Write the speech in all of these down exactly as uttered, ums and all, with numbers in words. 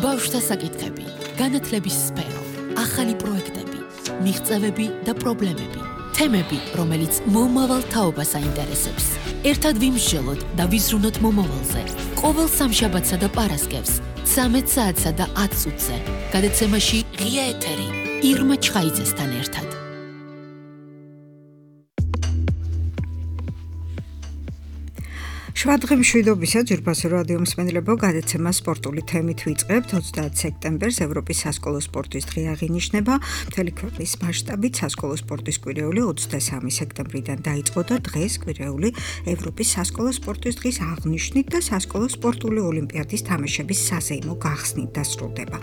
ბავშვთა საკითხები, განათლების სფერო, ახალი პროექტები, მიღწევები და პრობლემები, თემები, რომელიც მომავალ თაობას აინტერესებს. ერთად ვიმსჯელოთ და ვიზრუნოთ მომავალზე. ყოველ სამშაბათსა და პარასკევს, ცამეტ საათსა და ათ წუთზე. გადაცემაში ღია ეთერი, ირმა ჩხაიძესთან ერთად. შვადღე მშვიდობისა ძვირფასო რადიო მსმენელებო, გადაცემა სპორტული თემით ვიწყებთ. ოცდაათ სექტემბერს ევროპის სასკოლო სპორტის დღე აღინიშნება. მთელი ქვეყნის მასშტაბით სასკოლო სპორტის კვირეული ოცდასამი სექტემბრიდან დაიწყო და დღეს კვირეული ევროპის სასკოლო სპორტის დღის აღნიშვნით და სასკოლო სპორტული ოლიმპიადის თამაშების საზეიმო გახსნით დასრულდება.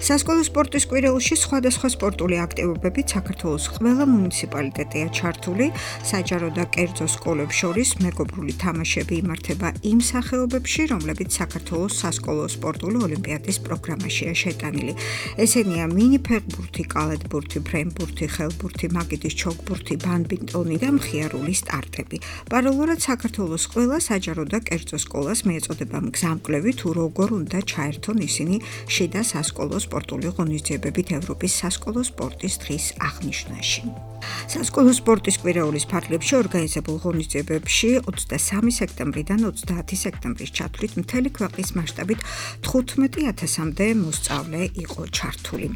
სასკოლო სპორტის კვირეულში სხვადასხვა სპორტული აქტივობებით საქართველოს ყველა მუნიციპალიტეტია ჩართული. საჯარო და კერძო სკოლებს შორის მეგობრული თამაშები იმართება იმ სახეობებში, რომლებიც საქართველოს სასკოლო სპორტული ოლიმპიადის პროგრამაშია შეტანილი. ესენია მინი ფეხბურთი, კალათბურთი, ფრენბურთი, ხელბურთი, მაგიდის ჩოგბურთი, ბადმინტონი და მხიარული სტარტები. პარალელურად საქართველოს ყველა საჯარო და კერძო სკოლას მიეწოდება მგზამკვლევი, თუ როგორ უნდა ჩაერთონ ისინი შიდა სასკოლო სპორტული ღონისძიებებით ევროპის სასკოლო სპორტის დღის აღნიშვნაში. სასკოლო სპორტის კვირეულის ფარგლებში ორგანიზებულ ღონისძიებებში ოცდასამი სექტემბრიდან ოცდაათი სექტემბრის ჩათვლით მთელი ქვეყნის მასშტაბით თხუთმეტი ათასამდე მოსწავლე იყო ჩართული.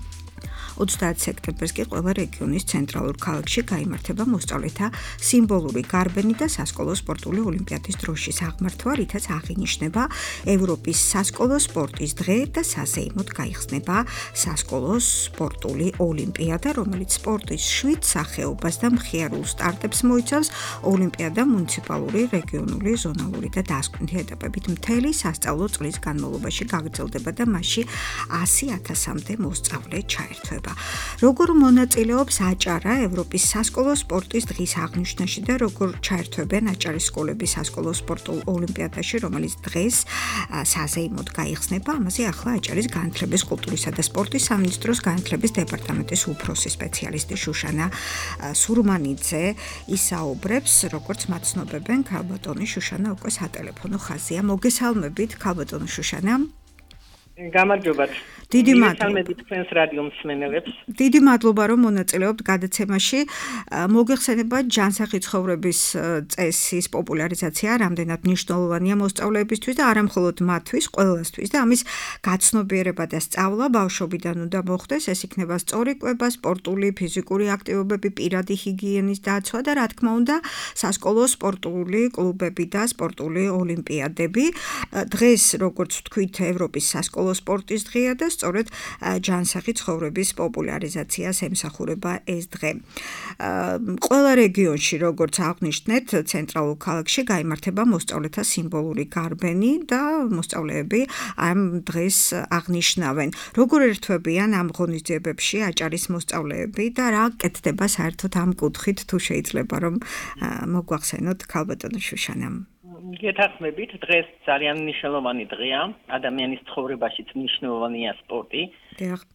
ოცდაათ სექტემბერს კი ყველა რეგიონის ცენტრალურ ქალაქში გაიმართება მოსწავლეთა სიმბოლური გარბენი და სასკოლო სპორტული ოლიმპიადის დროშის აღმართვა, რითაც აღინიშნება ევროპის სასკოლო სპორტის დღე და საზეიმოდ გაიხსნება სასკოლო სპორტული ოლიმპიადა, რომელიც სპორტის შვიდ სახეობას და მხიარულ სტარტებს მოიცავს. ოლიმპიადა მუნიციპალური, რეგიონული, ზონალური და დასკვნითი ეტაპებით მთელი სასწავლო წლის განმავლობაში გაგრძელდება და მასში ასი ათასამდე მოსწავლე ჩაერთვება. როგორ მონაწილეობს აჭარა ევროპის სასკოლო სპორტის დღის აღნიშვნაში და როგორ ჩაერთვებენ აჭარის სკოლები სასკოლო სპორტულ ოლიმპიადაში, რომელიც დღეს საზეიმოდ გაიხსნება, ამაზე ახლა აჭარის განათლების, კულტურისა და სპორტის სამინისტროს განათლების დეპარტამენტის უფროსი სპეციალისტი შუშანა სურმანიძე ისაუბრებს, როგორც მაცნობებენ. ქალბატონი შუშანა უკვე სატელეფონო ხაზია. მოგესალმებით, ქალბატონი შუშანა. გამარჯობათ. დიდი მადლობა. მოგესალმებით თქვენს რადიო მსმენელებს. დიდი მადლობა, რომ მონაწილეობთ გადაცემაში. მოგეხსენება ჯანსაღი ცხოვრების წესის პოპულარიზაცია რამდენად მნიშვნელოვანია მოსწავლეებისთვის და არა მხოლოდ მათთვის, ყველასთვის და ამის გაცნობიერება და სწავლა ბავშვობიდან უნდა მოხდეს. ეს იქნება სწორი კვება, სპორტული, ფიზიკური აქტივობები, პირადი ჰიგიენის დაცვა და რა თქმა უნდა, სასკოლო სპორტული კლუბები და სპორტული ოლიმპიადები. დღეს, როგორც ვთქვით, ევროპის სასკოლო სპორტის დღეა და სწორედ ჯანსაღი ცხოვრების პოპულარიზაციას ემსახურება ეს დღე. ყველა რეგიონში, როგორც აღნიშნეთ, ცენტრალურ ქალაქში გაიმართება მოსწავლეთა სიმბოლური გარბენი და მოსწავლეები ამ დღეს აღნიშნავენ. როგორ ერთვებიან ამ ღონისძიებებში აჭარის მოსწავლეები და რა კეთდება საერთოდ ამ კუთხით, თუ შეიძლება რომ მოგვახსენოთ ქალბატონი შუშანამ. გეთანხმებით, დღეს ძალიან მნიშვნელოვანი დღეა, ადამიანის ცხოვრებაშიც მნიშვნელოვანია სპორტი,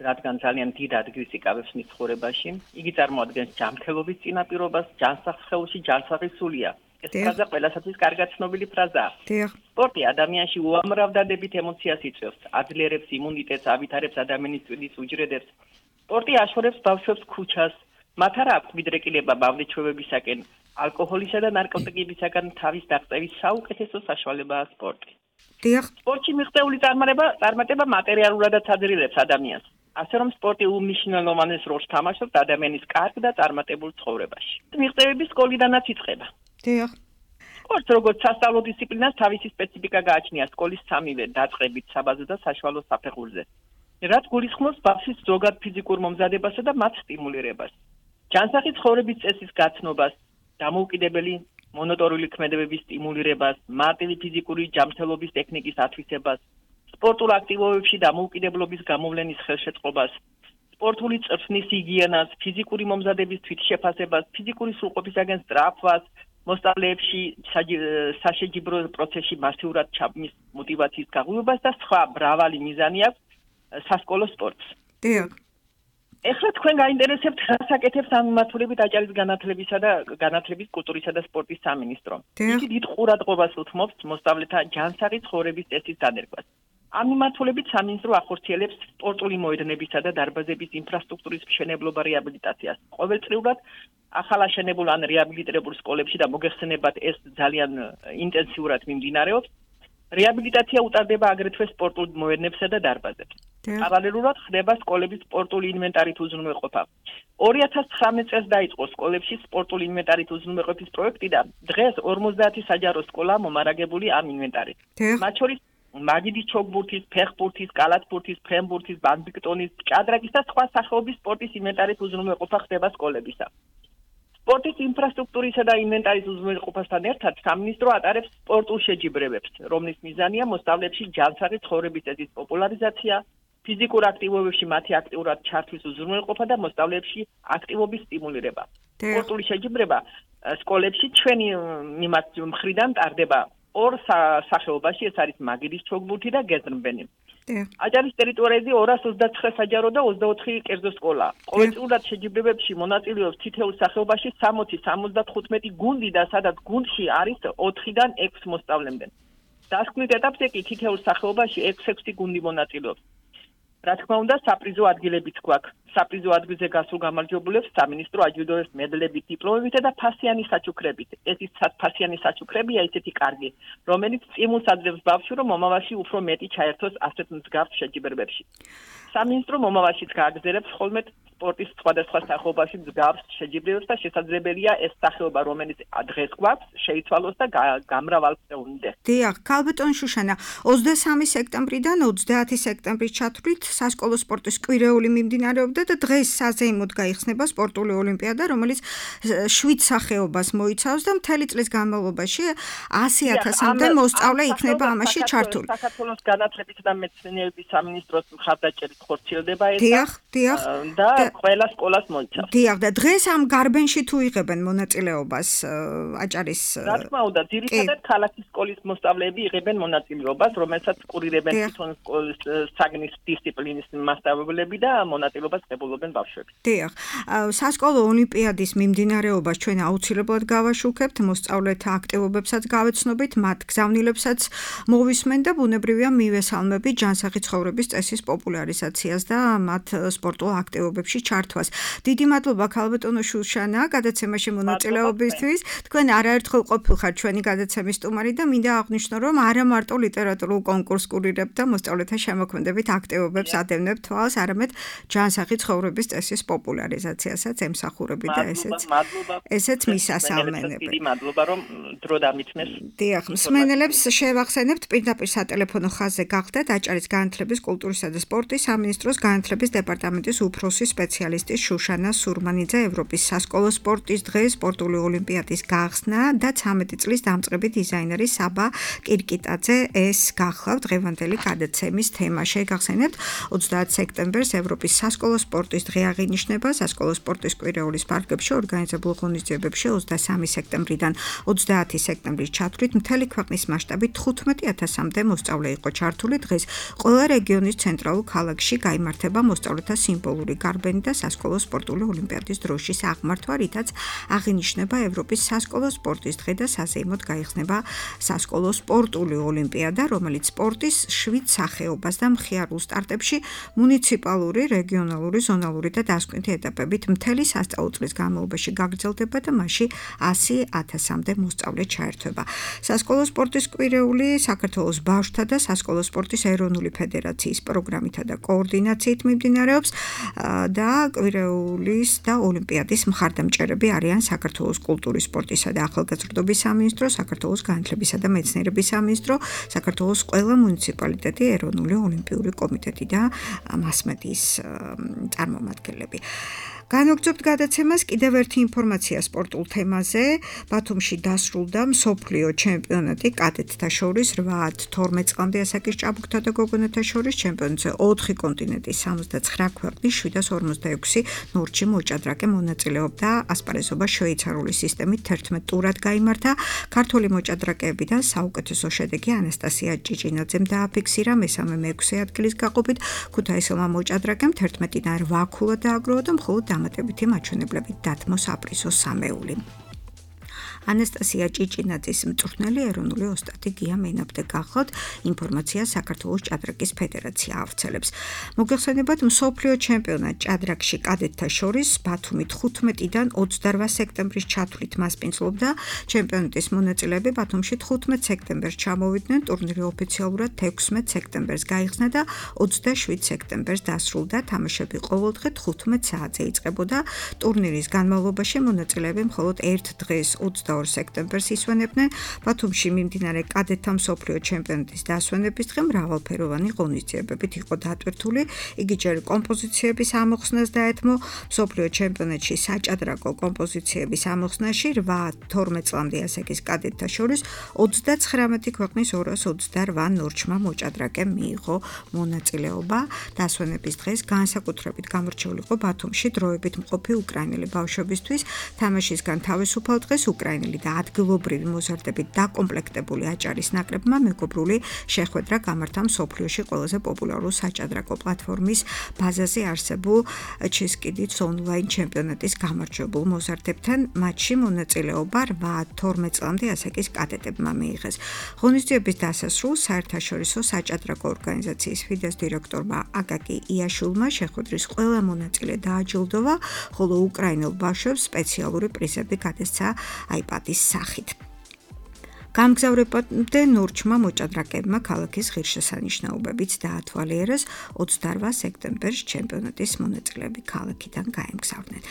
რადგან ძალიან დიდ ადგილს იკავებს მის ცხოვრებაში. იგი წარმოადგენს ჯანმრთელობის წინაპირობას, ჯანსაღ სხეულში ჯანსაღი სულია. ეს ფრაზა ყველასათვის კარგად ცნობილი ფრაზაა. სპორტი ადამიანში უამრავ დადებით ემოციას იწვევს, აძლიერებს იმუნიტეტს, ავითარებს ადამიანის წვიდის უჯრედებს. სპორტი აშორებს ბავშვებს ქუჩას, მათ არ აქვს მიდრეკილება ბავშვებისაკენ. ალკოჰოლისა და ნარკოტიკებისაგან თავის დაღწევის საუკეთესო საშუალებაა სპორტი. სპორტში მიღწეული წარმატება მატერიალურადაც აძლიერებს ადამიანს. ასე რომ სპორტი უმნიშვნელოვანეს როლს თამაშობს ადამიანის კარგ და წარმატებულ ცხოვრებაში. მიღწევები სკოლიდანაც იწყება. სპორტს როგორც სასწავლო დისციპლინას თავისი სპეციფიკა გააჩნია სკოლის სამივე დაწყებით, საბაზო და საშუალო საფეხურზე. რაც გულისხმობს ბავშვის ზოგად ფიზიკურ მომზადებასა და მათ სტიმულირებას. ჯანსაღი ცხოვრების წესის გაცნობას, დამოუკიდებელი მონოტორული ქმედებების სტიმულირებას, მარტივი ფიზიკური ჯანმრთელობის ტექნიკის ათვისებას, სპორტულ აქტივობებში დამოუკიდებლობის გამოვლენის ხელშეწყობას, სპორტული წრფნის ჰიგიენას, ფიზიკური მომზადების თვითშეფასებას, ფიზიკური სრულყოფისაგან სწრაფვას, მოსწავლეებში საშეჯიბრო პროცესში მასიურად ჩაბმის мотиваციის გაღვივებას და სხვა მრავალი მიზანი აქვს სასკოლო სპორტს. ეხლა თქვენ გაინტერესებთ რას აკეთებს ამ მიმართულებით აჭარის განათლებისა და განათლების, კულტურისა და სპორტის სამინისტრო. იგი დიდ ყურადღებას უთმობს მოსწავლეთა ჯანსაღი ცხოვრების წესის დანერგვას. ამ მიმართულებით სამინისტრო ახორციელებს სპორტული მოედნებისა და დარბაზების ინფრასტრუქტურის მშენებლობა რეაბილიტაციას. ყოველწლიურად ახალ აშენებულ ან რეაბილიტირებულ სკოლებში და მოგეხსენებათ ეს ძალიან ინტენსიურად მიმდინარეობს. რეაბილიტაცია უტარდება აგრეთვე სპორტულ მოედნებსა და დარბაზებს. პარალელურად ხდება სკოლების სპორტული ინვენტარით უზრუნველყოფა. ორი ათას ცხრამეტ წელს დაიწყო სკოლებში სპორტული ინვენტარით უზრუნველყოფის პროექტი და დღეს ორმოცდაათი საჯარო სკოლა მომარაგებული ამ ინვენტარით. მათ შორის მაგიდის ჩოგბურთის, ფეხბურთის, კალათბურთის, ფრენბურთის, ბადმინტონის, ჭადრაკის და სხვა სახეობის სპორტის ინვენტარით უზრუნველყოფა ხდება სკოლებისა. სპორტის ინფრასტრუქტურისა და ინვენტარის უზრუნველყოფასთან ერთად სამინისტრო ატარებს სპორტულ შეჯიბრებებს, რომლის მიზანია მოსწავლეებში ჯანსაღი ცხოვრების წესის პოპულარიზაცია, ფიზიკურ აქტივობებში მათი აქტიურად ჩართვის უზრუნველყოფა და მოსწავლეებში აქტივობის სტიმულირება. სპორტული შეჯიბრება სკოლებში ჩვენი მხრიდან ტარდება ორ სახეობაში, ეს არის მაგიდის ჩოგბურთი და გეზრმბენი. აჭარის ტერიტორიაზე ორას ოცდაცხრა საჯარო და ოცდაოთხი კერძო სკოლა. ყოველწლიურად შეჯიბრებებში მონაწილეობს თითოეულ სახეობაში სამოცი სამოცდათხუთმეტი გუნდი და სადაც გუნდში არის ოთხიდან ექვს მოსწავლემდე. დასკვნით ეტაპზე კი თითოეულ სახეობაში ექვს-ექვსი გუნდი მონაწილეობს. რა თქმა უნდა, საპრიზო ადგილებიც გვაქვს. საპრიზო ადგილზე გასულ გამარჯვებულებს სამინისტრო აჯილდოებს მედლებით, დიპლომებით და ფასიანი საჩუქრებით. ეს ის ფასიანი საჩუქრებია ისეთი კარგი, რომელიც სტიმულს აძლევს ბავშვს, რომ მომავალში უფრო მეტი ჩაერთოს ასეთ მსგავს შეჯიბრებებში. სამინისტრო მომავალშიც გააგრძელებს ხოლმე სპორტის სხვადასხვა სახეობაში მსგავს შეჯიბრებებს და შესაძლებელია ეს სახეობა, რომელიც დღეს გვაქვს, შეიცვალოს და გამრავალწევნდეს. დიახ, ქალბატონ შუშანა, ოცდასამი სექტემბრიდან ოცდაათი სექტემბრის ჩათვლით სასკოლო სპორტის კვირეული მიმდინარეობდა და დღეს საზეიმოდ გაიხსნება სპორტული ოლიმპიადა, რომელიც შვიდ სახეობას მოიცავს და მთელი წლის განმავლობაში ასი ათასამდე მოსწავლე იქნება ამაში ჩართული. საქართველოს განათლების და მეცნიერების სამინისტროს მხარდაჭერით ხორციელდება ეს. დიახ, დიახ. და ყველა სკოლას მოიცავს. დიახ, და დღეს ამ გარბენში თუ იღებენ მონაწილეობას აჭარის. რა თქმა უნდა, ძირითადად ქალაქის სკოლის მოსწავლეები იღებენ მონაწილეობას, რომელსაც კურირებენ თვითონ სკოლის საგნის დისციპლინის მასწავლებლები და მონაწილეობას ღებულობენ ბავშვები. დიახ, სასკოლო ოლიმპიადის მიმდინარეობას ჩვენ აუცილებლად გავაშუქებთ, მოსწავლეთა აქტივობებსაც გავეცნობით, მათ გზავნილებსაც მოვისმენ და ბუნებრივია მივესალმებით ჯანსაღი ცხოვრების წესის პოპულარიზაციას და მათ სპორტულ აქტივობებში ჩართვას. დიდი მადლობა ქალბატონო შუშანა გადაცემაში მონაწილეობისთვის. თქვენ არაერთხელ ყოფილხართ ჩვენი გადაცემის სტუმარი და მინდა აღვნიშნო, რომ არა მარტო ლიტერატურულ კონკურსს კურირებთ და მოსწავლეთა შემოქმედებით აქტივობებს ადევნებთ თვალს, არამედ ჯანსაღი ცხოვრების წესის პოპულარიზაციასაც ემსახურებით და ესეც ესეც მისასალმენები. დიდი მადლობა რომ დრო დამითმეს. დიახ, მსმენელებს შევახსენებთ პირდაპირ სატელეფონო ხაზზე გახდეთ აჭარის განათლების, კულტურისა და სპორტის სამინისტროს განათლების დეპარტამენტის უფროსი სპეციალისტი შუშანა სურმანიძე ევროპის სასკოლო სპორტის დღე სპორტული ოლიმპიადის გახსნა და ცამეტი წლის დამწყები დიზაინერი საბა კირკიტაძე ეს გახლავთ დღევანდელი გადაცემის თემა. შეგახსენებთ ოცდაათი სექტემბერს ევროპის სასკოლო სპორტის დღე აღინიშნება. სასკოლო სპორტის კვირეულის პარკებში ორგანიზებულ ღონისძიებებში ოცდასამი სექტემბრიდან ოცდაათი სექტემბრის ჩათვლით მთელი ქვეყნის მასშტაბით თხუთმეტი ათასამდე მოსწავლე იყო ჩართული. დღეს ყველა რეგიონის ცენტრალურ ქალაქში გაიმართება მოსწავლეთა სიმბოლური გარბენი და სასკოლო სპორტული ოლიმპიადის დროშის აღმართვა, რითაც აღინიშნება ევროპის სასკოლო სპორტის დღე და საზეიმოდ გაიხსნება სასკოლო სპორტული ოლიმპიადა, რომელიც სპორტის შვიდ სახეობას და მხიარულ სტარტებში მუნიციპალური, რეგიონალური, ზონალური და დასკვნითი ეტაპებით მთელი სასწავლო წლის განმავლობაში გაგრძელდება და მასში ასი ათასამდე მოსწავლე ჩაერთვება. სასკოლო სპორტის კვირეული საქართველოს ბავშვთა და სასკოლო სპორტის ეროვნული ფედერაციის პროგრამითა და კოორდინაციით მიმდინარეობს და კვირეულის და ოლიმპიადის მხარდამჭერები არიან საქართველოს კულტურის, სპორტისა და ახალგაზრდობის სამინისტრო, საქართველოს განათლებისა და მეცნიერების სამინისტრო, საქართველოს ყველა მუნიციპალიტეტი, ეროვნული ოლიმპიური კომიტეტი და მასმედიის წარმომადგენლები. განვაგრძობთ გადაცემას კიდევ ერთი ინფორმაცია სპორტულ თემაზე. ბათუმში დასრულდა მსოფლიო ჩემპიონატი კადეტთა შორის რვა თორმეტ წლამდე ასაკის ჭაბუკთა და გოგონათა შორის ჩემპიონატზე ოთხი კონტინენტის სამოცდაცხრა ქვეყნის შვიდას ორმოცდაექვსი ნორჩი მოჭადრაკე მონაწილეობდა. ასპარეზობა შვეიცარიული სისტემით თერთმეტ ტურად გაიმართა. ქართული მოჭადრაკეებიდან საუკეთესო შედეგი ანასტასია ჭიჭინაძემ დააფიქსირა მესამე მეექვსე ადგილის გაყოფით. ქუთაისელმა მოჭადრაკემ თერთმეტიდან რვა ქულა დააგროვა და მხოლოდ დამატებითი მაჩვენებლებით დათმო საპრიზო სამეული. ანასტასია ჭიჭინაძის მწვრთნელი ეროვნული ოსტატი გია მენაბდე გახლავთ, ინფორმაცია საქართველოს ჭადრაკის ფედერაცია ავრცელებს. მოგეხსენებათ, მსოფლიო ჩემპიონატ ჭადრაკში კადეტთა შორის ბათუმი თხუთმეტიდან ოცდარვა სექტემბრის ჩათვლით მასპინძლობდა. ჩემპიონატის მონაწილეები ბათუმში თხუთმეტ სექტემბერს ჩამოვიდნენ, ტურნირი ოფიციალურად ექვსმეტ სექტემბერს გაიხსნა და ოცდაშვიდ სექტემბერს დასრულდა. თამაშები ყოველდღე თხუთმეტ საათზე იწყებოდა. ტურნირის განმავლობაში მონაწილეები მხოლოდ ერთ დღეს ოცდაორ სექტემბერს ისვენებდნენ. ბათუმში მიმდინარე კადეტთა მსოფლიო ჩემპიონატის დასვენების დღე მრავალფეროვანი ღონისძიებებით იყო დატვირთული. იგი ჯერ კომპოზიციების ამოხსნას დაეთმო. მსოფლიო ჩემპიონატში საჭადრაკო კომპოზიციების ამოხსნაში რვა თორმეტ წლამდე ასაკის კადეტთა შორის ოცდაცხრამეტი ქვეყნის ორას ოცდარვა ნორჩმა მოჭადრაკემ მიიღო მონაწილეობა. დასვენების დღეს განსაკუთრებით გამორჩეული იყო ბათუმში დროებით მყოფი უკრაინელი ბავშვებისთვის. თამაშისგან თავისუფალ დღეს უკრაინელი და ადგილობრივი მოზარდებით დაკომპლექტებული აჭარის ნაკრებმა მეგობრული შეხვედრა გამართა მსოფლიოში ყველაზე პოპულარულ საჭადრაკო პლატფორმის ბაზაზე არსებულ ჩესკიდიც ონლაინ ჩემპიონატის გამარჯვებულ მოზარდებთან. მატჩში მონაწილეობა რვა თორმეტ წლამდე ასაკის კადეტებმა მიიღეს. ღონისძიების დასასრულს საერთაშორისო საჭადრაკო ორგანიზაციის ფიდეს დირექტორმა აკაკი იაშულმა შეხვედრის ყველა მონაწილე დააჯილდოვა, ხოლო უკრაინელ ბავშვებს სპეციალური პრიზები გადასცა აიპადის სახით. გამგზავრებამდე ნორჩმა მოჭადრაკეებმა ქალაქის ღირსშესანიშნაობებიც დაათვალიერეს. ოცდარვა სექტემბერს ჩემპიონატის მონაწილეები ქალაქიდან გაემგზავრნენ.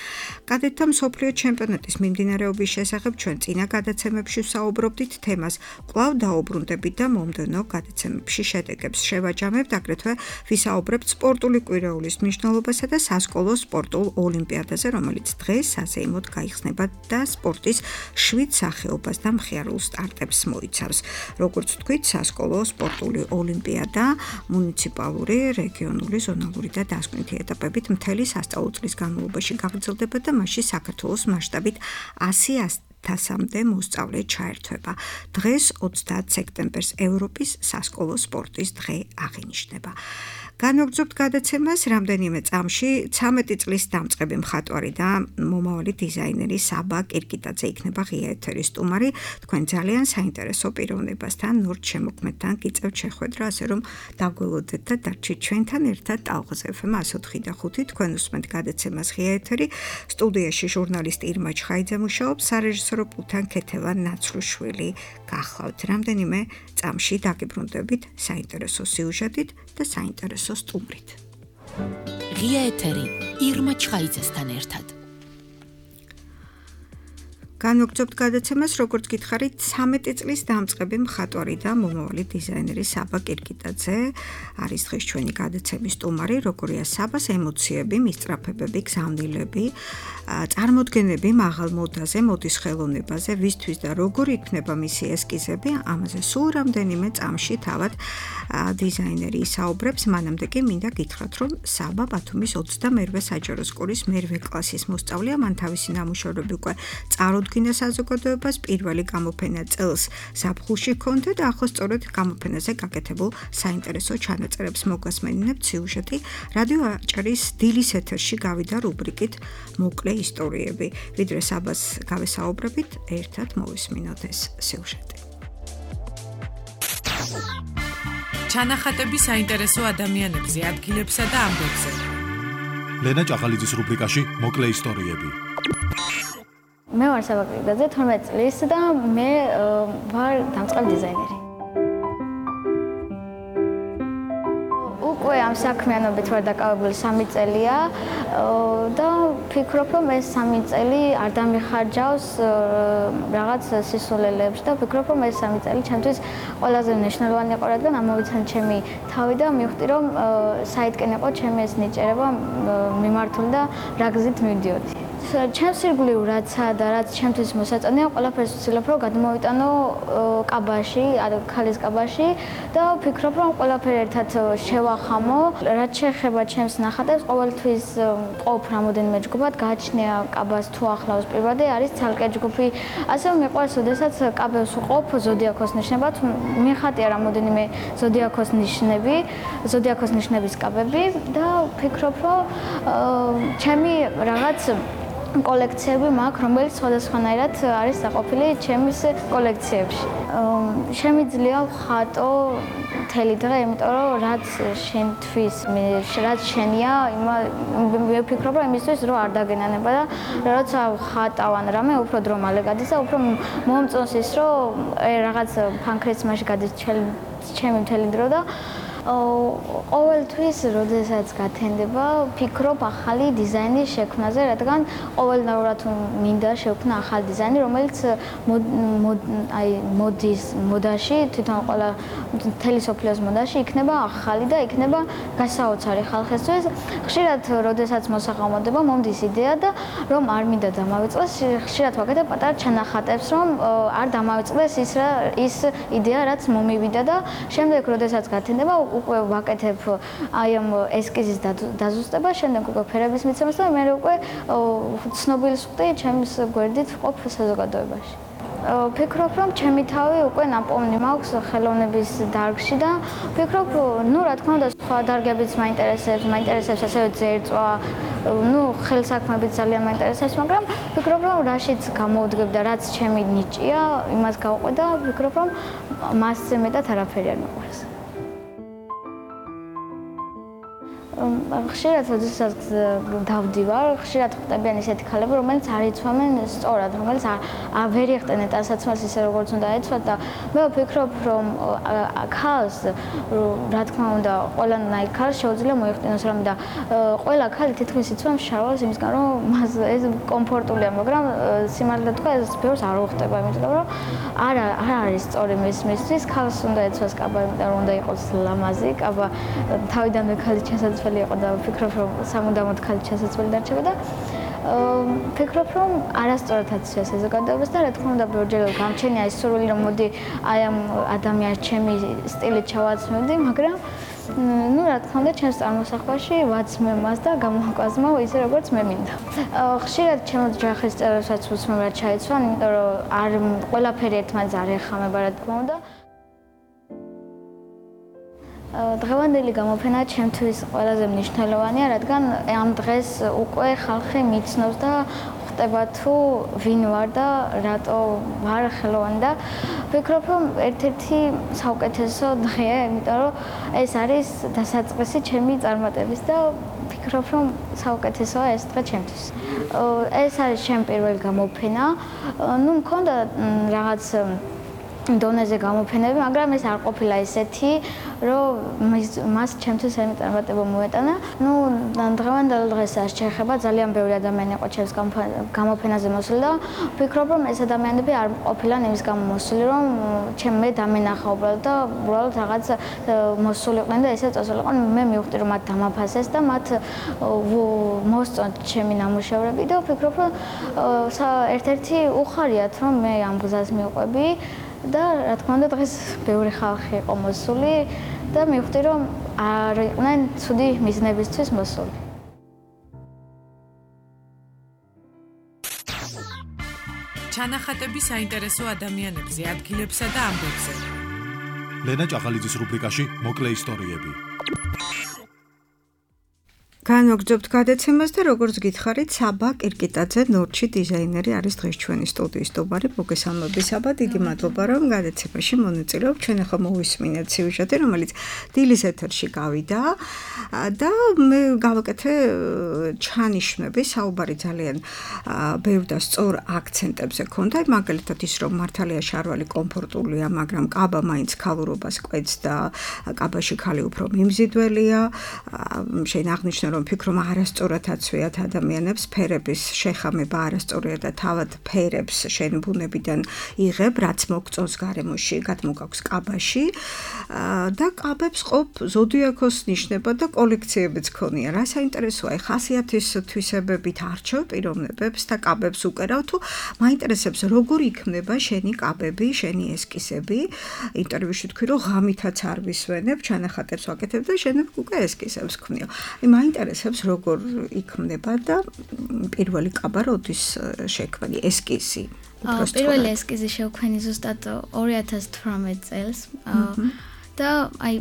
კადეტთა მსოფლიო ჩემპიონატის მიმდინარეობის შესახებ ჩვენ წინა გადაცემებში ვსაუბრობდით, თემას კვლავ დაუბრუნდებით და მომდევნო გადაცემებში შედეგებს შევაჯამებთ, აგრეთვე ვისაუბრებთ სპორტული კვირეულის მნიშვნელობასა და სასკოლო სპორტულ ოლიმპიადაზე, რომელიც დღეს საზეიმოდ გაიხსნება და სპორტის შვიდ სახეობას და მხიარულ სტარტებს მოიცავს. როგორც ვთქვით, სასკოლო სპორტული ოლიმპიადა მუნიციპალური, რეგიონული, ზონალური და დასკვნითი ეტაპებით მთელი სასწავლო წლის განმავლობაში გაგრძელდება და მასში საქართველოს მასშტაბით ასი ათასამდე მოსწავლე ჩაერთვება. დღეს ოცდაათ სექტემბერს ევროპის სასკოლო სპორტის დღე აღინიშნება. განვაგრძობთ გადაცემას რამდენიმე წამში ცამეტი წლის დამწყები მხატვარი და მომავალი დიზაინერი საბა კირკიტაძე იქნება ღია ეთერის სტუმარი. თქვენ ძალიან საინტერესო პიროვნებასთან, ნორჩ შემოქმედთან გიწევთ შეხვედრა, ასე რომ დაგველოდეთ და დარჩით ჩვენთან ერთად ტალღაზე ეფ ემ ათი ოთხი და ხუთი. თქვენ უსმენთ გადაცემას ღია ეთერი. სტუდიაში ჟურნალისტი ირმა ჩხაიძე მუშაობს, სარეჟისორო პულტთან ქეთევან ნაცრუშვილი გახლავთ. რამდენიმე წამში დაგიბრუნდებით საინტერესო სიუჟეტით და საინტერესო სტუმრით. ღია ეთერი ირმა ჩხაიძესთან ერთად. განვაგრძობთ გადაცემას, როგორც გითხარით, ცამეტი წლის დამწყები მხატვარი და მომავალი დიზაინერი საბა კირკიტაძე არის დღეს ჩვენი გადაცემის სტუმარი. როგორია საბას ემოციები, მისწრაფებები, გზავნილები, წარმოდგენები მაღალ მოდაზე, მოდის ხელოვნებაზე, ვისთვის და როგორ იქნება მისი ესკიზები, ამაზე სულ რამდენიმე წამში თავად დიზაინერი ისაუბრებს. მანამდე კი მინდა გითხრათ, რომ საბა ბათუმის ოცდამერვე საჯარო სკოლის მერვე კლასის მოსწავლეა, მან თავისი ნამუშევრები უკვე წარუდგინა საზოგადოებას, პირველი გამოფენა წელს ზაფხულში ჰქონდა და ახლა სწორედ გამოფენაზე გაკეთებულ საინტერესო ჩანაწერებს მოგასმენინებთ სიუჟეტი. რადიო აჭარის დილის ეთერში გავიდა რუბრიკით მოკლე ისტორიები. ვიდრე საბას გავესაუბრებით, ერთად მოვისმინოთ ეს სიუჟეტი. ჩანახატები საინტერესო ადამიანებზე, ადგილებსა და ამბებზე. ლენა ჭაღალიძის რუბრიკაში მოკლე ისტორიები. მე ვარ საბა კირკიტაძე, თორმეტ წლის და მე ვარ დამწყებ დიზაინერი. უკვე ამ საქმიანობით ვარ დაკავებული სამი წელია და ვფიქრობ, რომ ეს სამი წელი არ დამიხარჯავს რაღაც სისულელეებში და ვფიქრობ, რომ ეს სამი წელი ჩემთვის ყველაზე მნიშვნელოვანი იყო, რადგან ამოვიცან ჩემი თავი და მივხვდი, რომ საითკენ იყო ჩემი ეს ნიჭერება მიმართული და რა გზით მივდიოდი. ჩემს ირგვლივ რაცა და რაც ჩემთვის მოსაწონია, ყველაფერს ვცდილობ, რომ გადმოვიტანო კაბაში, ქალის კაბაში და ვფიქრობ, რომ ყველაფერი ერთად შევახამო. რაც შეეხება ჩემს ნახატებს, ყოველთვის ყოფ რამოდენიმე ჯგუფად, გააჩნია კაბას თუ ახლავს პირვადი, არის ცალკე ჯგუფი. ასევე მიყვარს, როდესაც კაბებს ვყოფ ზოდიაქოს ნიშნებად, მიხატია რამოდენიმე ზოდიაქოს ნიშნები, ზოდიაქოს ნიშნების კაბები და ვფიქრობ, რომ ჩემი რაღაც კოლექციები მაქვს, რომელიც სხვადასხვანაირად არის დაყოფილი ჩემის კოლექციებში. შემიძლია ვხატო მთელი დღე, იმიტომ რომ რაც შენთვის, რაც შენია, მე ვფიქრობ, რომ იმისთვის რომ არ დაგენანება და როცა ვხატავ ან რამე, უფრო დრო მალე გადის და უფრო მომწონს ის, რომ რაღაც ფანქრიც მასში გადის ჩემი მთელი დრო და ყოველთვის, როდესაც გათენდება, ვფიქრობ ახალი დიზაინის შექმნაზე, რადგან ყოველდღიურად მინდა შევქმნა ახალი დიზაინი, რომელიც აი მოდის მოდაში, თვითონ ყველა მთელი სოფლიოს მოდაში იქნება ახალი და იქნება გასაოცარი ხალხისთვის. ხშირად, როდესაც მოსახმარებლობა მომდის იდეა და რომ არ მინდა დამავიწყდეს, ხშირად ვაკეთებ პატარა ჩანახატებს, რომ არ დამავიწყდეს ის ის იდეა, რაც მომივიდა და შემდეგ, როდესაც გათენდება უკვე ვაკეთებ აი ამ ესკიზის დაზუსტება, შემდეგ უკვე ფერების მიცემას და მე უკვე ცნობილს ვხდი ჩემს გვერდით ვყოფ საზოგადოებაში. ვფიქრობ, რომ ჩემი თავი უკვე ნაპოვნი მაქვს ხელოვნების დარგში და ვფიქრობ, ну, რა თქმა უნდა, სხვა დარგებიც მაინტერესებს, მაინტერესებს ასევე ძერწვა, ну, ხელსაქმეებიც ძალიან მაინტერესებს, მაგრამ ვფიქრობ, რომ რაშიც გამოვდგებ და რაც ჩემი ნიჭია, იმას გავყვე და ვფიქრობ, რომ მასზე მეტად არაფერი არ მეყვარს. ხშირად როდესაც დავდივარ, ხშირად ხვდებიან ისეთი ქალები, რომელიც არ იცვამენ სწორად, რომელიც არ ვერ იხტენენ ტანსაცმელს ისე როგორც უნდა ეცვათ და მე ვფიქრობ, რომ ქალს, რა თქმა უნდა, ყველანაირ ქალს შეუძლია მოიხტენოს რამე და ყველა ქალი თითქმის იცვამს შარვალს იმისგან, რომ მას ეს კომფორტულია, მაგრამ სიმართლე თქვა, ეს ბევრს არ უხდება, იმიტომ რომ არ არ არის სწორი მისთვის, ქალს უნდა ეცვას კაბა, იმიტომ რომ უნდა იყოს ლამაზი, კაბა თავიდანვე ქალის ჩასაწყისი იყო და ვფიქრობ, რომ სამუდამოდ ქალი ჩასაწყისი დარჩება და ვფიქრობ, რომ არასწორად აცვია საზოგადოებას და რა თქმა უნდა, ბევრჯერ გამჩენია ის სურვილი, რომ მოდი აი ამ ადამიანს ჩემი სტილით ჩავაცმევდი, მაგრამ ну, რა თქმა უნდა, ჩემს წარმოსახვაში ვაცმევ მას და გამოვაკვაზმავ ისე, როგორც მე მინდა. ხშირად ჩემო ჯახის წევრებსაც ვუსმევ რა ჩაიცვან, იმიტომ რომ არ ყველაფერი ერთმანეთს არ ეხამება, რა თქმა უნდა. დღევანდელი გამოფენა ჩემთვის ყველაზე მნიშვნელოვანია, რადგან ამ დღეს უკვე ხალხი მიცნობს და ხვდება თუ ვინ ვარ და რატო ვარ ხელოვანი და ვფიქრობ, რომ ერთ-ერთი საუკეთესო დღეა, იმიტომ რომ ეს არის დასაწყისი ჩემი წარმატების და ვფიქრობ, რომ საუკეთესოა ეს დღე ჩემთვის. ეს არის ჩემი პირველი გამოფენა. ну, მქონდა რაღაც დონეზე გამოფენები, მაგრამ ეს არ ყოფილა ესეთი, რომ მას ჩემთვის ემი წარმატება მოეტანა. ну, დღევანდელ დღეს არ შეეხება, ძალიან ბევრი ადამიანი იყო ჩემს გამოფენაზე მოსული და ვფიქრობ, რომ ეს ადამიანები არ ყოფილან იმის გამო მოსული, რომ ჩემ მე დამენახა უბრალოდ და უბრალოდ რაღაც მოსულიყვნენ და ესე წასულიყვნენ. მე მივხვდი, რომ მათ დამაფასეს და მათ მოსწონთ ჩემი ნამუშევრები და ვფიქრობ, რომ ერთ-ერთი უხარიათ, რომ მე ამ გზას მივყვები. და რა თქმა უნდა დღეს ბევრი ხალხი იყო მოსული და მივხვდი რომ არ იყვნენ ცუდი მიზნებისთვის მოსული. ჩანახატები საინტერესო ადამიანებზე, ადგილებსა და ამბებზე. ლენა ჭაღალიძის რუბრიკაში მოკლე ისტორიები. განვაგრძობთ გადაცემას და როგორც გითხარით, საბა კირკიტაძე, ნორჩი დიზაინერი არის დღეს ჩვენი სტუდიის სტუმარი. მოგესალმები საბა, დიდი მადლობა რომ გადაცემაში მონაწილეობ. ჩვენ ახლა მოვისმინეთ სიუჟეტი, რომელიც დილის ეთერში გავიდა და მე გავაკეთე ჩანიშვნები, საუბარი ძალიან ბევრ და სწორ აქცენტებზე ქონდა. მაგალითად ის რომ მართალია შარვალი კომფორტულია, მაგრამ კაბა მაინც ქალურობას კვეთს და კაბაში ქალი უფრო მიმზიდველია. შენ აღნიშნე რომ ვფიქრობ, არასწორად აცვიათ ადამიანებს ფერების შეხამება არასწორია და თავად ფერებს შენ ბუნებიდან იღებ, რაც მოგწონს გარემოში, გადმოგაქვს კაბაში და კაბებს ყოფ ზოდიაქოს ნიშნება და კოლექციებიც ქონია. რა საინტერესოა, ხასიათის თვისებებით არჩევ პიროვნებებს და კაბებს უკერავ თუ მაინტერესებს როგორ იქნება შენი კაბები, შენი ესკისები. ინტერვიუში თქვი რომ ღამითაც არ ვისვენებ, ჩანახატებს ვაკეთებ და შენ უკვე ესკისებს ქვნიო. მაინტერესებს როგორ იქმნება და პირველი კაბა როდის შექმნი ესკიზი. პირველი ესკიზი შევქმნი ზუსტად ორი ათას თვრამეტ წელს. და აი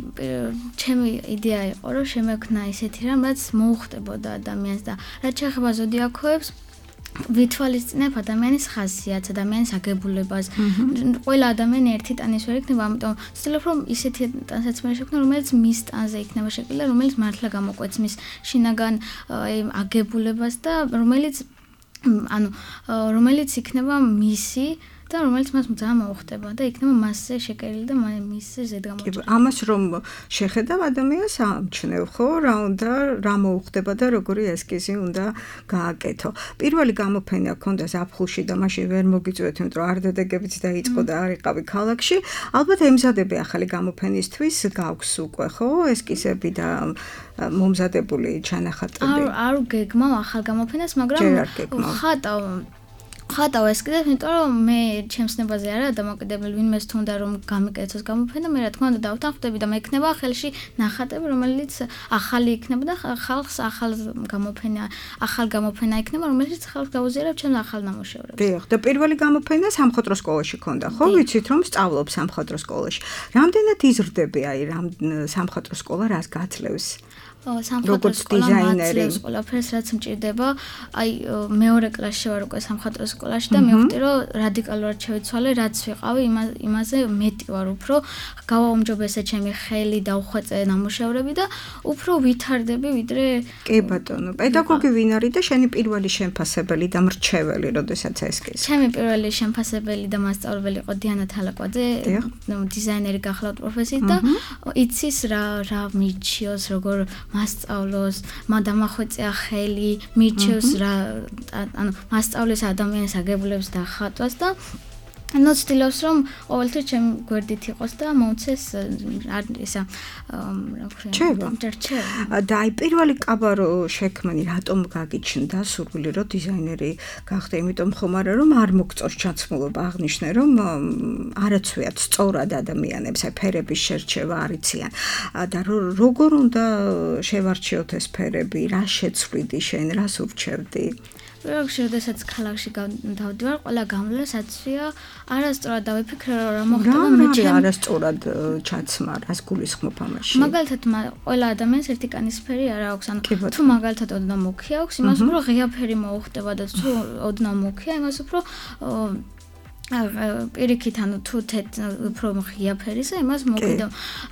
ჩემი იდეა იყო რომ შემექმნა ისეთი რამ, რაც მოუხდებოდა ადამიანს და რაც შეეხება ზოდიაქოებს, ვითვალისწინებ ადამიანის ხასიათს, ადამიანის აგებულებას. ყველა ადამიანი ერთი ტანის ვერ იქნება, ამიტომ ვცდილობ რომ ისეთი ტანსაცმელი შექმნა, რომელიც მის ტანზე იქნება შექმნილი, რომელიც მართლა გამოკვეთს მის შინაგან აგებულებას და რომელიც ანუ რომელიც იქნება მისი და რომელიც მას ძალიან მოუხდება და იქნება მასზე შეკერილი და მისზე ზედგამოჭრილი. ამას რომ შეხედავ ადამიანს ამჩნევ ხო, რა უნდა, რა მოუხდება და როგორი ესკიზი უნდა გააკეთო. პირველი გამოფენა ქონდა ზაფხულში და მაშინ ვერ მოგიწვევთ, იმიტომ რომ არ დადეგებიც დაიწყო და არ იყავი ქალაქში. ალბათ ემზადები ახალი გამოფენისთვის, გაქვს უკვე ხო, ესკიზები და მომზადებული ჩანახატები. არ არ გეგმავ ახალ გამოფენას, მაგრამ ხატავ ხატავ ესკიზებს, იმიტომ რომ მე ჩემს ნებაზე არა დამოკიდებული, ვინმეს თუნდა რომ გამიკეთოს გამოფენა, მე რა თქმა უნდა დავთანხმდები და მე იქნება ხელში ნახატები, რომელიც ახალი იქნება და ხალხს ახალ გამოფენა, ახალ გამოფენა იქნება, რომელიც ხალხს გაუზიარებს ჩემს ახალ ნამუშევრებს. დიახ, და პირველი გამოფენა სამხატვრო სკოლაში ქონდა, ხო? ვიცით რომ სწავლობ სამხატვრო სკოლაში. რამდენად იზრდები აი რამ სამხატვრო სკოლა რას გაძლევს? სამხატვრო სკოლა მაძლევს ყველაფერს რაც მჭირდება. აი მეორე კლასში ვარ უკვე სამხატვრო სკოლაში და მივხვდი რომ რადიკალურად შევიცვალე, რაც ვიყავი, იმაზე მეტი ვარ უფრო. გავაუმჯობესე ჩემი ხელი, დავხვეწე ნამუშევრები და უფრო ვითარდები ვიდრე კი ბატონო. პედაგოგი ვინ არის და შენი პირველი შემფასებელი და მრჩეველი, როდესაც ესკიზი? ჩემი პირველი შემფასებელი და მასწავლებელი იყო დიანა თალაკვაძე, დიზაინერი გახლავთ პროფესიით და იცის რა რა მიჩიოს, როგორ მასწავლოს, დამახვეწეა ხელი, მირჩევს რა, ანუ მასწავლის ადამიანის აგებულებს და ხატვას და ანუ ვცდილობს რომ ყოველთვის ჩემი გვერდით იყოს და მოუწეს ისა რა ვქნა და აი პირველი კაბარო შექმნი რატომ გაგიჩნდა სურვილი რომ დიზაინერი გახდე, იმიტომ ხომ არა რომ არ მოგწონს ჩაცმულობა, აღნიშნე რომ არაცვიათ სწორად ადამიანებს აი ფერების შერჩევა არიციან და როგორ უნდა შევარჩიოთ ეს ფერები, რა შეცვლიდი შენ, რას ურჩევდი? როცა შესაძაც ქალაქში დავდივარ, ყველა გამლა საცვია, არასწორად დავიფიქრე რა მოხდება მე ჩემ არასწორად ჩაცმა, რას გულისხმობ ამაში. მაგალითად, ყველა ადამიანს ერთი კანისფერი არ აქვს, ანუ თუ მაგალითად ოდნავ მუქი აქვს, იმას უფრო ღია ფერი მოუხდება და თუ ოდნავ მუქია, იმას უფრო პირიქით ანუ თუ თეთ უფრო ღია ფერისა, იმას მოკიდო.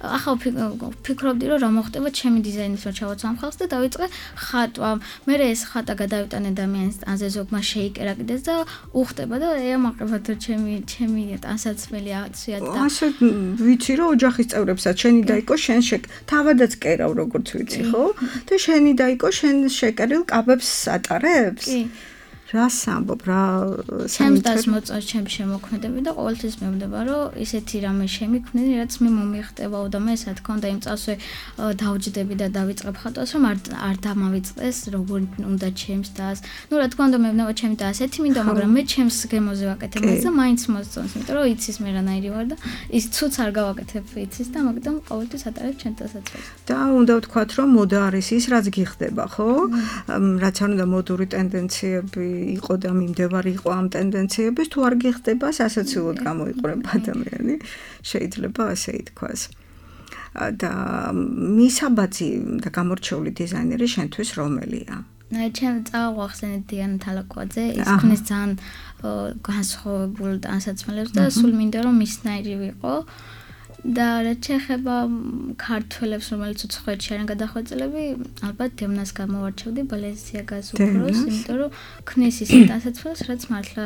ახლა ვფიქრობდი რომ რა მოხდება ჩემი დიზაინის რო ჩავაცვამ ხალხს და დავიწყე ხატვა. მე ეს ხატა გადავიტანე ადამიანის ტანზე, ზოგმა შეიკერა კიდეც და უხდება და ეამაყება თუ ჩემი ჩემი ტანსაცმელი აცვიათ და ასე ვიცი რომ ოჯახის წევრებსაც შენი დაიკო შენ შეკ თავადაც კერავ როგორც ვიცი ხო? და შენი დაიკო შენ შეკერილ კაბებს ატარებს? კი. რას ამბობ რა ჩემს დასმოწონს ჩემს შემოქმედები და ყოველთვის მევდება რომ ისეთი რამე შემიქმნენი რაც მე მომიხდებაო და მე სად ქონდა იმ წასვე დავჯდები და დავიწყებ ხატვას რომ არ არ დამავიწყდეს როგორ უნდა ჩემს დას. ნუ რა თქმა უნდა მევნება ჩემი და ასეთი მინდა, მაგრამ მე ჩემს გემოზე ვაკეთებ მას და მაინც მოსწონს, იმიტომ რომ იცის მე რანაირი ვარ და ის ცუც არ გავაკეთებ იცის და მაგიტომ ყოველთვის ატარებ ჩემ დასაწყისს. და უნდა ვთქვათ რომ მოდა არის ის რაც გიხდება, ხო? რაც არ უნდა მოდური ტენდენციები იყო და მიმდევარი იყო ამ ტენდენციების, თუ არ გიხდება, სასაცილოდ გამოიყურება ადამიანი, შეიძლება ასე ითქვას. და მისაბაძი და გამორჩეული დიზაინერი შენთვის რომელია? ჩემ წავახსენეთ დიანა თალაკვაძე, ის ქმნის ძალიან განსხვავებულ ტანსაცმელებს და სულ მინდა რომ მისნაირი ვიყო. და რაც შეეხება ქართველებს, რომელიც უცხოეთში არიან გადახვეწილები, ალბათ დემნას გამოვარჩევდი ბალენსიაგას უფროს, იმიტომ რომ ქმნის ისეთ ტანსაცმელს, რაც მართლა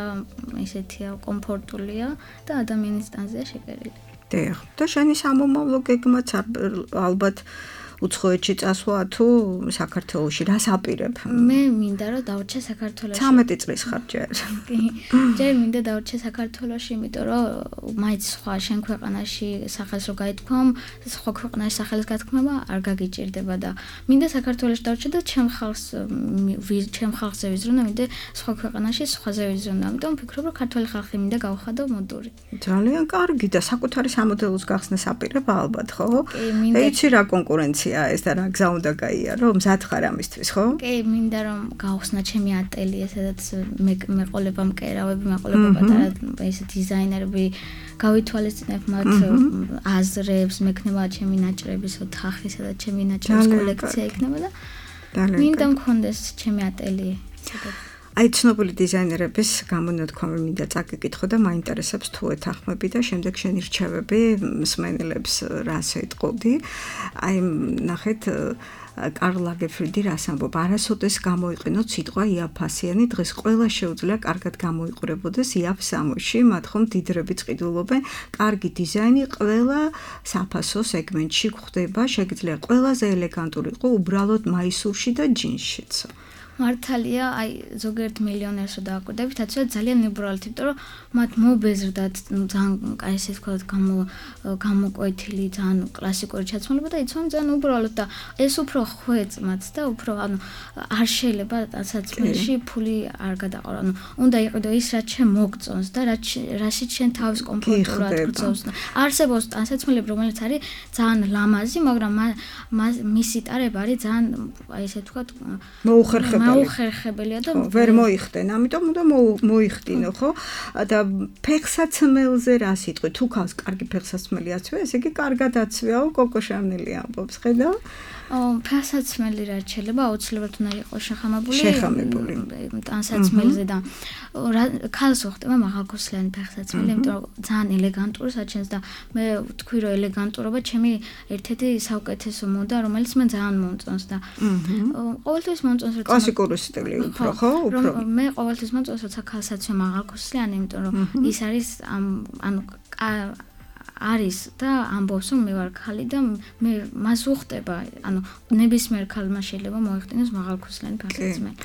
ესეთია კომფორტულია და ადამიანის ტანზეა შეკერილი. დიახ, და შენი სამომავლო გეგმაც ალბათ უცხოეთში წასვლა თუ საქართველოში რას აპირებ? მე მინდა რომ დავრჩე საქართველოში. ცამეტი წლის ხარ ჯერ. კი. ჯერ მინდა დავრჩე საქართველოში, იმიტომ რომ მაინც სხვა შენ ქვეყანაში სახელს რო გაითქვამ, სხვა ქვეყანაში სახელის გათქმება არ გაგიჭირდება და მინდა საქართველოში დავრჩე და ჩემ ხალხს ჩემ ხალხზე ვიზრუნო, მინდა სხვა ქვეყანაში სხვაზე ვიზრუნო. ამიტომ ვფიქრობ რომ ქართველი ხალხი მინდა გავხადო მოდური. ძალიან კარგი და საკუთარი სამოდელოს გახსნას აპირებ ალბათ, ხო? კი, მინდა. ეცი რა კონკურენცია ეს და რა გზა უნდა გაიარო, მზად ხარ ამისთვის, ხო? კი, მინდა რომ გავხსნა ჩემი ატელიე, სადაც მე მეყოლება მკერავები, მეყოლება პატარა ეს დიზაინერები, გავითვალისწინებ მათ აზრებს, მექნება ჩემი ნაჭრების ოთახი, სადაც ჩემი ნაჭრების კოლექცია იქნება და მინდა მქონდეს ჩემი ატელიე. აი ცნობილი დიზაინერების გამონათქვამი მინდა წაგიკითხო და მაინტერესებს თუ ეთანხმები და შემდეგ შენი რჩევები მსმენელებს რას ეტყოდი. აი ნახეთ კარლ ლაგერფელდი რას ამბობ, არასოდეს გამოიყენოთ სიტყვა იაფასიანი, დღეს ყველა შეუძლია კარგად გამოიყურებოდეს იაფ სამოში, მათ ხომ დიდრებით ყიდულობენ, კარგი დიზაინი ყველა საფასო სეგმენტში გვხდება, შეგიძლია ყველაზე ელეგანტური იყო უბრალოდ მაისურში და ჯინსშიც. მართალია, აი ზოგიერთ მილიონერს რო დააკვირდებით, აცვია ძალიან ლიბერალით, იმიტომ რომ მათ მობეზრდათ ძალიან აი ესე ვთქვათ, გამო გამოკვეთილი, ძალიან კლასიკური ჩაცმულობა და იცვამენ ძალიან უბრალოდ და ეს უფრო ხვეწ მათ და უფრო ანუ არ შეიძლება დასაწყისში ფული არ გადაყო. ანუ უნდა იყიდო ის რაც შენ მოგწონს და რაც რაშიც შენ თავის კომფორტულად გწონს. არსებობს დასაწყისები, რომელიც არის ძალიან ლამაზი, მაგრამ მისი ტარება არის ძალიან აი ესე ვთქვათ მოუხერხებელი. მოუხერხებელია და ვერ მოიხდენ, ამიტომ უნდა მოიხდინო, ხო? და ფეხსაცმელზე რა სიტყვი, თუ ქალს კარგი ფეხსაცმელი აცვია, ესე იგი კარგად აცვიაო, კოკო შანელი ამბობს, ხედავ? ფეხსაცმელი რაც შეიძლება აუცილებლად უნდა იყოს შეხამებული. შეხამებული. ტანსაცმელზე და ქალს უხდება მაღალქოსლიანი ფეხსაცმელი, იმიტომ რომ ძალიან ელეგანტური საჩენს და მე ვთქვი რომ ელეგანტურობა ჩემი ერთ-ერთი საუკეთესო მოდა, რომელიც მე ძალიან მომწონს და ყოველთვის მომწონს რომ კლასიკური სტილი უფრო, ხო? უფრო. მე ყოველთვის მომწონს როცა ქალს აცვია მაღალქოსლიანი, იმიტომ რომ ის არის ანუ არის და ამბობს რომ მე ვარ ქალი და მე მას უხდება, ანუ ნებისმიერ ქალმა შეიძლება მოიხდინოს მაღალქოსლიანი ფეხსაცმელი.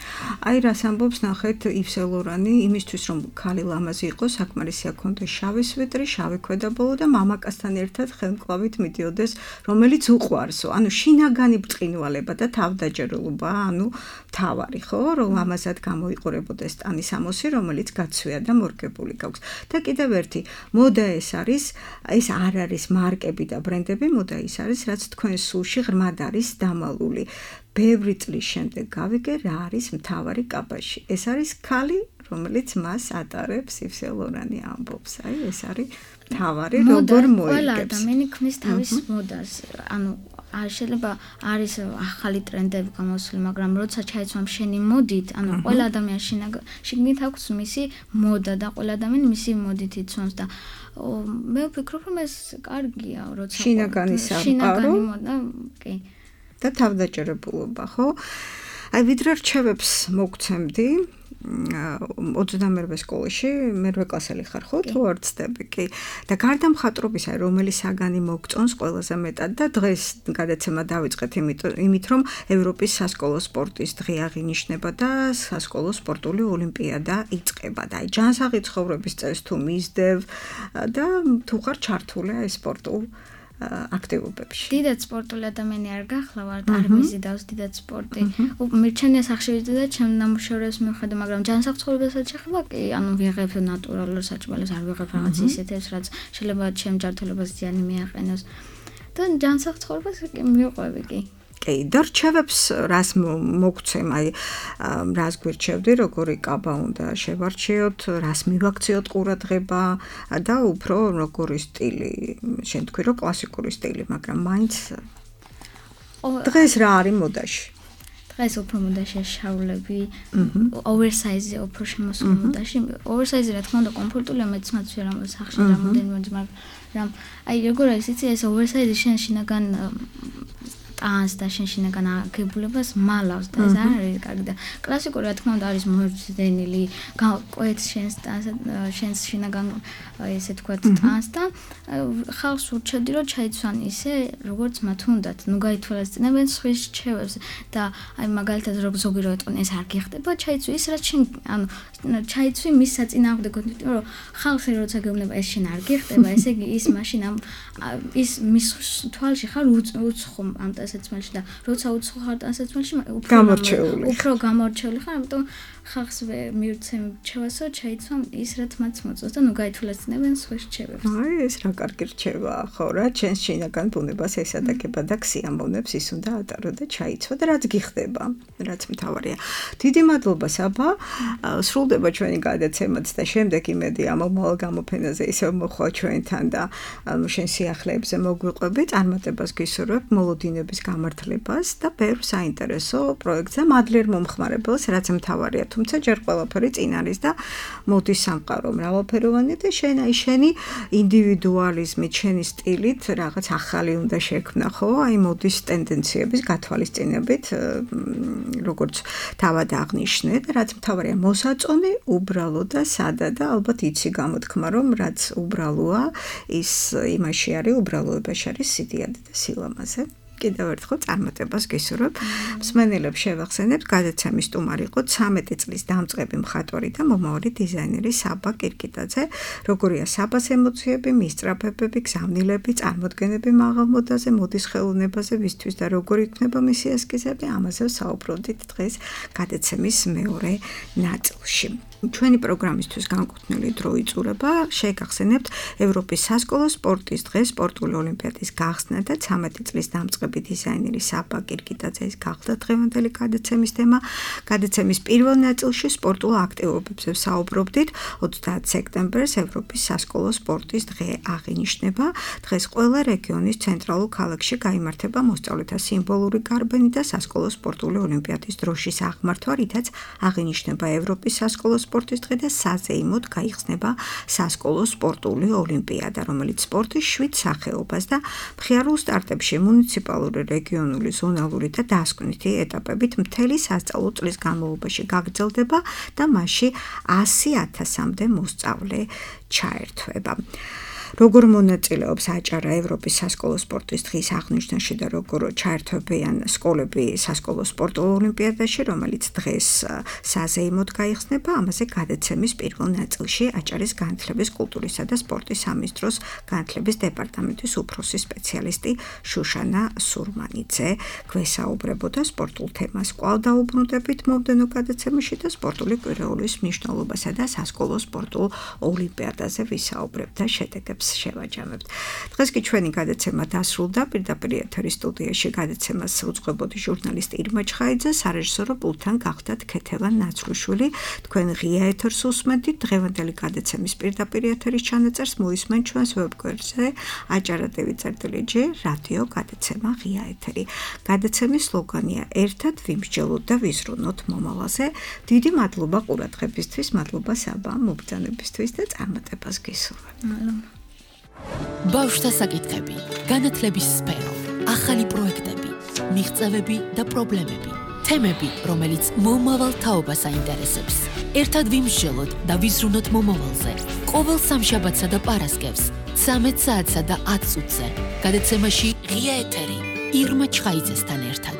აი რას ამბობს ნახეთ ივ სენ ლორანი, იმისთვის რომ ქალი ლამაზი იყოს, საკმარისია ქონდეს შავი სვეტრი, შავი ქვედაბოლო და მამაკაცთან ერთად ხელმკლავით მიდიოდეს, რომელიც უყვარსო. ანუ შინაგანი ბრწყინვალება და თავდაჯერლობა, ანუ თავარი, ხო, რომ ამასად გამოიყურებოდეს ტანის ამოსი, რომელიც გაცვია და მორგებული გაქვს. და კიდევ ერთი, მოდა ეს არის, ეს არ არის მარკები და ბრენდები, მოდა ის არის, რაც თქვენ სულში ღრმად არის დამალული. ბევრი წლის შემდეგ გავიგე რა არის მთავარი კაბაში. ეს არის ქალი, რომელიც მას ატარებს, ივ სენ ლორანი ამბობს. აი ეს არის მთავარი, როგორ მოიგებს. ყველა ადამიანი ქმნის თავის მოდას. ანუ არ შეიძლება არის ახალი ტრენდები გამოსული, მაგრამ როცა ჩაიცვამ შენი მოდით, ანუ ყველა ადამიანი შიგნით აქვს მისი მოდა და ყველა ადამიანი მისი მოდით იცვამს და მე ვფიქრობ, რომ ეს კარგია, როცა შინაგანი სამყარო კი. და თავდაჯერებულობა, ხო? აი ვიდრე რჩევებს მოგცემდი ოცდამერვე სკოლაში, მერვე კლასელი ხარ, ხო? თუ არ ვცდები, კი. და გარდა მხატვრობის, აი რომელი საგანი მოგწონს ყველაზე მეტად და დღეს გადაცემა დავიწყეთ იმით, რომ ევროპის სასკოლო სპორტის დღე აღინიშნება და სასკოლო სპორტული ოლიმპიადა იწყება. და აი ჯანსაღი ცხოვრების წესს თუ მისდევ და თუ ხარ ჩართული აი სპორტულ აქტივობებში. დიდად სპორტული ადამიანი არ გახლავართ, არ მიზიდავს დიდად სპორტი. მირჩენია სახშირი და ჩემ ნამუშევრებს მივხედა, მაგრამ ჯანსაღ ცხოვრებასაც შეხება, კი, ანუ ვიღებ ნატურალურ საჭმელებს, არ ვიღებ რაღაც ისეთებს, რაც შეიძლება ჩემ ჯანმრთელობას ზიანი მიაყენოს. და ჯანსაღ ცხოვრებას მივყვები, კი. კი, და რჩევებს რას მოგცემ, აი რას გვირჩევდი, როგორი კაბა უნდა შევარჩიოთ, რას მივაქციოთ ყურადღება და უფრო როგორი სტილი, შენ თქვი რომ კლასიკური სტილი, მაგრამ მაინც დღეს რა არის მოდაში? დღეს უფრო მოდაშია შავლები, oversize უფრო შემოსული მოდაში. oversize რა თქმა უნდა კომფორტულია, მეც მაცვია რომ სახში რამოდენიმე, მაგრამ აი როგორ არის იცი ეს oversize შენ შინაგან ტანს და შენ შინაგან აგებულებას მალავს და ეს არ არის კარგი და კლასიკური რა თქმა უნდა არის მოძდენილი, კვეთს შენს შენს შინაგან ესე თქვა ტანს და ხალხს ურჩევდი რომ ჩაიცვან ისე როგორც მათ უნდათ, ნუ გაითვალისწინებენ სხვის რჩევებს და აი მაგალითად როგორ ზოგი რო ეტყვი ეს არ გიხდება, ჩაიცვი ის რაც შენ ანუ ჩაიცვი მის საწინააღმდეგოდ, იმიტომ რომ ხალხი როცა გეუბნება ეს შენ არ გიხდება, ესე იგი ის მაშინ ამ ის მის თვალში ხარ უცხო ამ ტანსაცმელში და როცა უცხო ხარ ტანსაცმელში უფრო გამორჩეული უფრო გამორჩეული ხარ, ამიტომ ხალხს მივცემ რჩევასო ჩაიცვამ ის რაც მათ მოწონს და ნუ გაითვალისწინებენ სხვის რჩევებს. აი ეს რა კარგი რჩევაა, ხო რა, ჩვენს შინაგან ბუნებას ესადაგება და ქსიამოვნებს ის უნდა ატარო და ჩაიცვა და რაც გიხდება, რაც მთავარია. დიდი მადლობა საბა, სრულდება ჩვენი გადაცემაც და შემდეგ იმედი ამომავალ გამოფენაზე ისევ მოხვალ ჩვენთან და შენ სიახლეებზე მოგვიყვები, წარმატებას გისურვებ მოლოდინების პროექტების გამართლებას და ბევრ საინტერესო პროექტზე მადლიერ მომხმარებელს, რაც მთავარია, თუმცა ჯერ ყველაფერი წინ არის და მოდის სამყარო მრავალფეროვანი და შენ აი შენი ინდივიდუალიზმით, შენი სტილით რაღაც ახალი უნდა შექმნა, ხო? აი მოდის ტენდენციების გათვალისწინებით, როგორც თავად აღნიშნე და რაც მთავარია მოსაწონი, უბრალო და სადა და ალბათ იცი გამოთქმა, რომ რაც უბრალოა, ის იმაში არის, უბრალოებაში არის სიდიადე და სილამაზე. კიდევ ერთხელ წარმატებას გისურვებ. მსმენელებს შევახსენებთ, გადაცემის სტუმარი იყო ცამეტი წლის დამწყები მხატვარი და მომავალი დიზაინერი საბა კირკიტაძე. როგორია საბას ემოციები, მისწრაფებები, გზავნილები, წარმოდგენები მაღალ მოდაზე, მოდის ხელოვნებაზე, ვისთვის და როგორ იქნება მისი ესკიზები, ამაზე საუბრობდით დღეს გადაცემის მეორე ნაწილში. ჩვენი პროგრამისთვის განკუთვნილი დრო იწურება, შეგახსენებთ ევროპის სასკოლო სპორტის დღე, სპორტული ოლიმპიადის გახსნა და ცამეტი წლის დამწყები დიზაინერი საბა კირკიტაძის გახდა დღევანდელი გადაცემის თემა. გადაცემის პირველ ნაწილში სპორტულ აქტივობებზე საუბრობდით. ოცდაათ სექტემბერს ევროპის სასკოლო სპორტის დღე აღინიშნება. დღეს ყველა რეგიონის ცენტრალურ ქალაქში გაიმართება მოსწავლეთა სიმბოლური გარბანი და სასკოლო სპორტული ოლიმპიადის დროშის აღმართვა, რითაც აღინიშნება ევროპის სასკოლო სპორტის დღე და საზეიმოდ გაიხსნება სასკოლო სპორტული ოლიმპიადა, რომელიც სპორტის შვიდ სახეობას და მხიარულ სტარტებში მუნიციპალური, რეგიონული, ზონალური და დასკვნითი ეტაპებით მთელი სასწავლო წლის განმავლობაში გაგრძელდება და მასში ასი ათასამდე მოსწავლე ჩაერთვება. როგორ მონაწილეობს აჭარა ევროპის სასკოლო სპორტის დღის აღნიშვნაში და როგორ ჩაერთვებიან სკოლები სასკოლო სპორტულ ოლიმპიადაში, რომელიც დღეს საზეიმოდ გაიხსნება, ამაზე გადაცემის პირველ ნაწილში აჭარის განათლების, კულტურისა და სპორტის სამინისტროს განათლების დეპარტამენტის უფროსი სპეციალისტი შუშანა სურმანიძე გვესაუბრებოდა სპორტულ თემას. კვლავ დაუბრუნდებით მომდევნო გადაცემაში და სპორტული კვირეულის მნიშვნელობასა და სასკოლო სპორტულ ოლიმპიადაზე ვისაუბრებთ და შედეგებს შევაჯამებთ. დღეს კი ჩვენი გადაცემა დასრულდა. პირდაპირ ეთერის სტუდიაში გადაცემას უძღვებოდი ჟურნალისტი ირმა ჩხაიძე, სარეჟისორო პულტთან გახდათ ქეთევან ნაცრუშვილი. თქვენ ღია ეთერს უსმენთ. დღევანდელი გადაცემის პირდაპირ ეთერის ჩანაწერს მოისმენთ ჩვენს ვებგვერდზე აჭარა ტივი წერტილი ჯი რადიო გადაცემა ღია ეთერი. გადაცემის სლოგანია ერთად ვიმსჯელოთ და ვიზრუნოთ მომავალზე. დიდი მადლობა ყურადღებისთვის, მადლობა საბა მობრძანებისთვის და წარმატებას გისურვებ. ბავშვთა საკითხები, განათლების სფერო, ახალი პროექტები, მიღწევები და პრობლემები, თემები, რომელიც მომავალ თაობას აინტერესებს. ერთად ვიმსჯელოთ და ვიზრუნოთ მომავალზე. ყოველ სამშაბათსა და პარასკევს, ცამეტ საათსა და ათ წუთზე. გადაცემაში ღია ეთერი ირმა ჩხაიძესთან ერთად.